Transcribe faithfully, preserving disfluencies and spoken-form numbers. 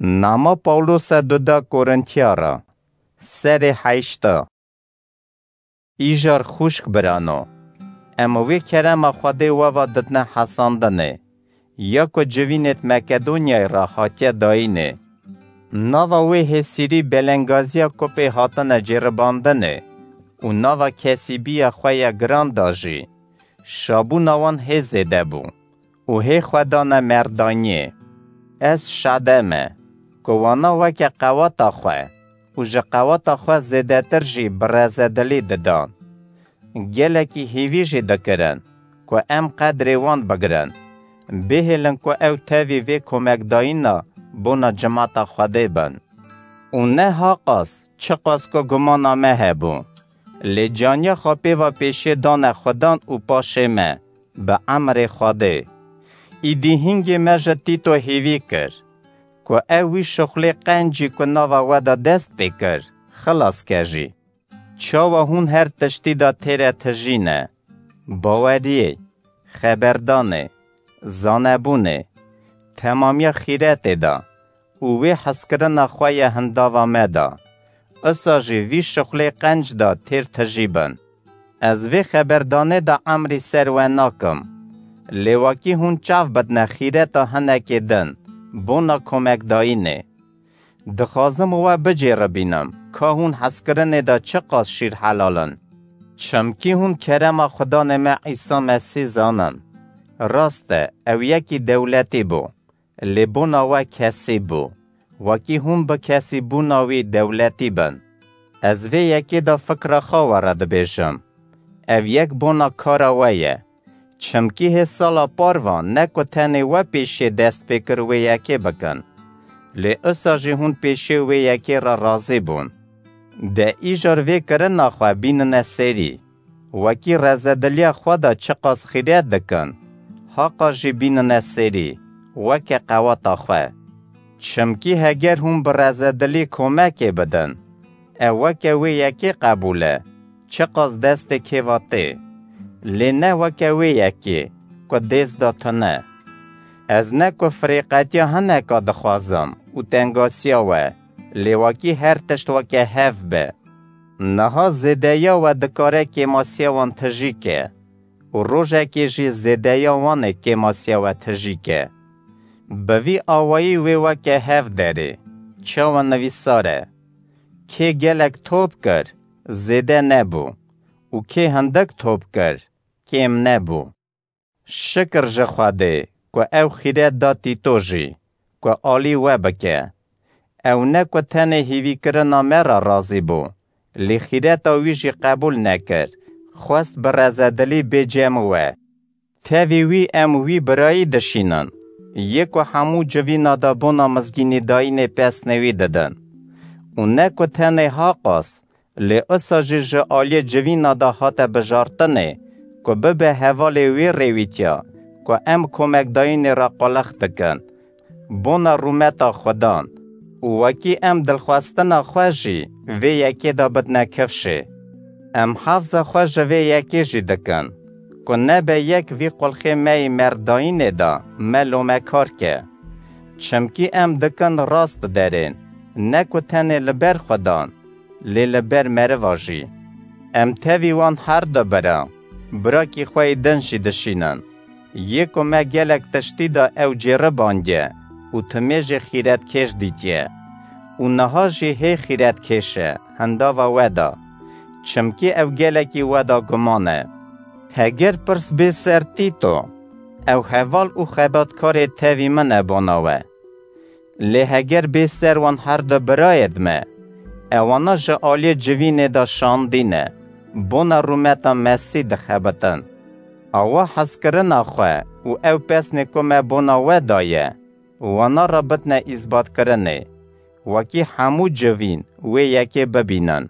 Nama Pawlose duda Korintiya re. Serê heşta. Îjar xwişk birano, em wê kerema Xwedê we ve didine hesandinê, ya ku civînêd Makedonyayê re hatiye dayînê. Nava wê hêsîrî belengaziya ku pê hatine cêribandinê û nava kesîbiya xwe ya giran da jî, şabûna wan hê zêde bû û hê xwe dane merdaniyê. Ez şade me ku wana weke qewata xwe û ji qewata xwe zêdetir jî bi rezedilî didan. Gelekî hêvî jî dikirin ku em qedrê wan bigirin, bihêlin ku ew tevî vê komekdayîna bona cimata Xwedê bin. Û ne haqas çiqas ku gumana me hebû, lê caniya xwe pê ve pêşê dane Xudan û paşê me, bi emrê Xwedê. Îdî hingê me ji Tîto hêvî kir, ku ew wî şuxlê qencî ku nava we de dest pê kir, xilas ke jî. Çawa hûn her tiştî de têre tijî ne? Baweriyê, xeberdanê, zanebûnê, temamiya xîretê de û wê hezkirina xwe ya hindava me de, isa jî vî şuxlê qenc de têr tijî bin. Ez vê xeberdanê de emrî ser we nakim, lê wekî hûn çav bidine xîreta hinekê din, bona komekdayînê. Dixwazim we bicêribînim, ka hûn hezkirinê de çiqas şîrhelal in. Çimkî hûn kerema Xudanê me Îsa Mesîh zanin. Rast e, ew yekî dewletî bû, lê bona we kesîb bû, wekî hûn bi kesîbûna wî dewletî bin. Ez vê yekê de fikra xwe we re dibêjim. Ev yek bona kara we ye. Çimkî hê sala par ve ne ku tenê we pêşê dest pê kir wê yekê bikin, lê usa jî hûn pêşê wê yekê re razî bûn. De îcar vê kirina xwe bînine serî, wekî rezediliya xwe de çiqas xîret dikin, haqa jî bînine serî, weke qewata xwe. Çimkî heger hûn bi rezedilî komekê bidin, ew weke wê yekê qebûl e, çiqas destê kêva tê, lê ne weke wê yekê ku dêst da tune. Ez ne ku firêqetiya hineka dixwazim û tengasiya we, lê wekî her tişt weke hev be. Niha zêdeya we dikare kêmasiya wan tijî ke û rojekê jî zêdeya wan ê kêmasiya we tijî ke. Bi vî awayî wê weke hev derê, çawa nivîsar e: Kê gelek top kir, zêde nebû û kê hindik top kir, kêm nebû. Şikir ji Xwedê ku ew xîret da Tîto jî, ku alî we bike. Ew ne ku tenê hêvîkirina me re razî bû, lê xîreta wî jî qebûl nekir, xwest bi rezedilî bê cem we. Tevî wî em wî birayî dişînin, yê ku hemû civîna de bona mizgînîdayînê pesnê wî didin. Û ne ku tenê haqas, lê usa jî ji aliyê civîna de hate bijartinê, ku bibe hevalê wê rêwîtiya, ku em komekdayînê re qulix dikin, bona rûmeta Xudan, û wekî em dilxwestina xwe jî vê yekê de bidine kifşê. Em hefza xwe ji vê yekê jî dikin, ku nebe yek vî qulxê me yî merdayînê de me lomekar ke. Çimkî em dikin rast derên, ne ku tenê li ber Xudan, lê li ber meriva jî. Em tevî wan her du bira, birakî xwe yê din jî dişînin. Yê ku me gelek tiştî de ew cêribandiye û timê jê xîretkêş dîtiye û niha jî hê xîretkêş e hindava we de, çimkî ew gelekî we de guman e. Heger pirs bê ser Tîto, ew heval û xebatkarê tevî min e bona we. Lê heger bê ser wan her du birayêd me, ewana ji aliyê civînê de şandî ne, bona rûmeta Mesîh dixebitin. Awa hezkirina xwe û ew pesnê ku me bona we daye, wana re bidine îsbatkirinê, wekî hemû civîn wê yekê bibînin.